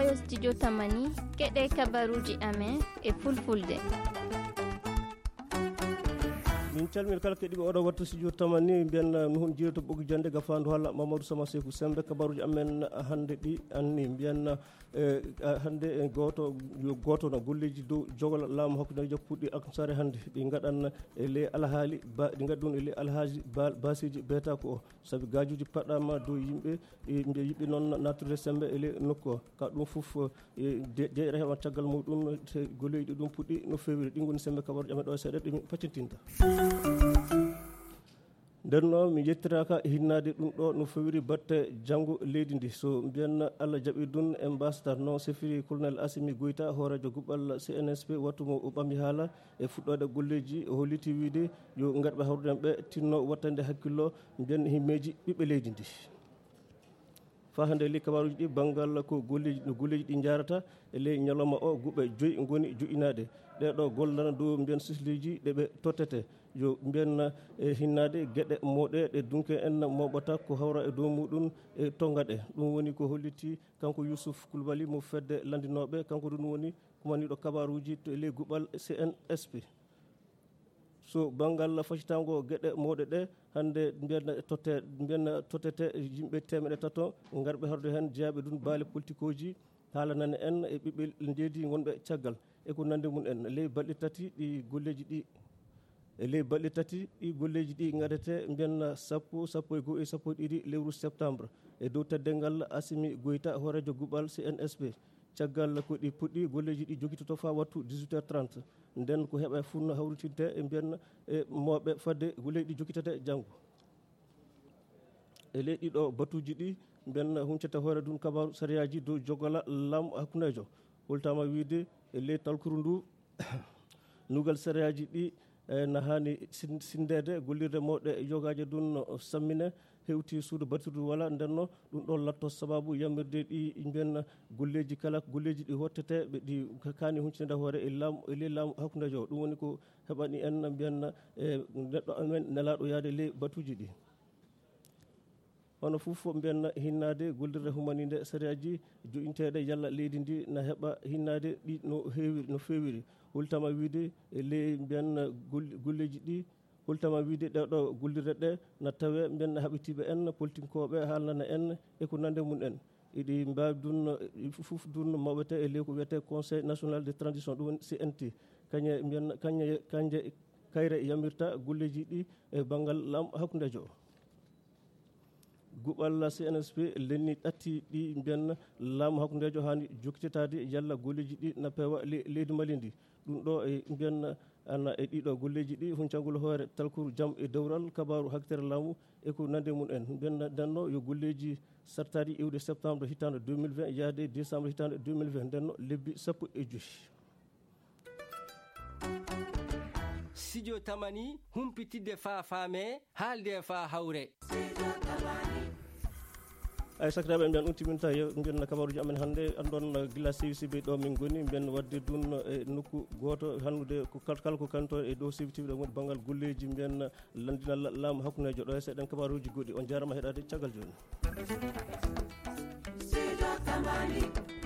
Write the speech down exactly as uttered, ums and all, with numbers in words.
Studio Tamani, keɗe kabaruji amen e fulfulde. Min calmina kala keɗiɓe oɗo wattu studio Tamani, mbiyen nuhun jiilato ɓogi jande gafandu hala Mamadou Sama Seku Sembe. Kabaruji amen hande ɗi anni mbiyen, eh, ah, hande en goto, yo goto no golleji dow jogol laamu hakkunde jappuɗi alkamsare hande ɗi gaɗan e le alhaali ba, ɗi gaɗa ɗum e le alhaji ba, basiji beta ko o. Sabi gajuji paɗɗama dow yimɓe, e mbiya yiɓɓe noon nattude sembe e le nokku o. Ka ɗum fof, e, de-, jeeɗa heɓa caggal muɗum, te golleji ɗi ɗum puɗɗi no feewiri. Ɗi ngoni sembe kabaruji amen ɗo e seeɗa ɗi min paccintinta. Nden noon, mi yettiraka hinnaade ɗum ɗo no feewiri batte janngo leydi ndi. So mbiyen Allah jaɓi ɗum, en mbasata noon sefiri Colonel Assimi Goïta, hooreejo guɓal C N S P, wattu mo o ɓami haala e fuɗɗoode golleji, o holliti wiide yo ngarɓe hawruden ɓe tinno wattande hakkillo mbiyen himmeeji ɓiɓɓe leydi ndi. Faa hannde ley kabaruuji ɗi, banngal ko golleji, no golleji ɗi njaarata e ley ñalawma o, guɓe joyi ngoni joƴƴinaade. Ɗee ɗo gollana dow mbiyen sosleeji ɗe ɓe tottete. Yo mbiyen, e, hinnaade geɗe mooɗe ɗe dunke en mooɓata ko hawra e dow muɗum e tonga ɗe. Ɗum woni ko holliti kanko Youssouf Koulibaly mo fedde lanndinooɓe, kanko ɗum woni kumaniiɗo kabaruuji to e ley guɓal C N S P. So banngal faccitaango geɗe mooɗe ɗe, hannde mbiyen totte, mbiyen tottete yimɓe teemeɗe tato, ngarɓe harde heen jeyaaɓe ɗum baale politikooji, haalanane en e ɓiɓɓe leydi ngonɓe caggal, e ko nande mum en. Ley balɗe tati ɗi golleeji ɗi, e ley balɗe tati ɗi golleeji ɗi ngadete, mbiyen sappo, sappo e go'o e sappo e ɗiɗi lewru septembre, e dow teddeengal Assimi Goïta, hooreejo guɓal C N S P. Caggal ko ɗi puɗɗi, golleeji ɗi jogitoto faa wattu dix-huit heures trente. Nden ko heɓa fuu no hawritinte e mbiyen e mooɓe fadde golleeji ɗi jokitete janngo. E ley ɗiɗo batuuji ɗi, mbiyen huncata hoore ɗum kabaaru sariyaaji dow jogola laamu hakkundeejo. Holtaama wiide e ley talkuru ndu, nugal sariyaaji ɗi, e, na haani sin-, sindeede, gollirde mooɗe yogaaje ɗum no sammine, hewti suudu batirdu wala ndenno, ɗum ɗon latto sababu yamirde ɗi mbiyen golleeji kala, golleeji ɗi hottete, ɓe ɗi ka-, kaani huncinde hoore e laamu, e ley laamu hakkundeejo. Ɗum woni ko heɓani en mbiyen, e, neɗɗo amen nelaaɗo yaade ley batuuji ɗi. Hono fof mbiyen hinnaade gollirde humaniinde sariyaaji joƴinteeɗe yalla leydi ndi na heɓa hinnaade ɗi no heewi, no feewiri. Holtama wiide e ley mbiyen gol-, golleeji ɗi, holtama wiide ɗe ɗo gollirde ɗe na tawe mbiyen haɓitiiɓe en, politinkooɓe haalnana en e ko nande mum en. Iɗi mbaawi ɗum, fof ɗum mawɓete e ley ko wiyetee Conseil National de Transition, ɗum woni C N T. Kañe mbiyen, kañe, kañje kayre yamirta golleeji ɗi e banngal laamu hakkundeejo. Guɓal C N S P lenni ɗatti ɗi mbiyen laamu hakkundeejo haani jokkititaade yalla golleeji ɗi na peewa le-, leydi Mali ndi. Ɗum ɗo e mbiyen ana e ɗiɗo golleeji ɗi huncangol hoore talkuru jam e dewral, kabaaru haktere laamu e ko nande mum en. Mbiyen ndenno yo golleeji sartaaɗi iwde septembre hitaande deux mille vingt yaade décembre hitaande deux mille vingt, ndenno lebbi sappo e joy. Studio Tamani, humpitidde faa faame, haalde faa hawre. Ay sakiraaɓe, en mbiyan on timinta yo mbiyan kabaruuji amen hannde, anndon gila C V C B ɗo min ngoni, mbiyan wadde ɗum e nokku gooto hannude ko kal-, kala ko kanto e ɗo C V C B ɗo woni banngal golleeji mbiyan lanndinal laamu hakkundeejo ɗo e seeɗen kabaruuji goɗɗi. On jaarama heɗaade caggal jooni. Studio Tamani.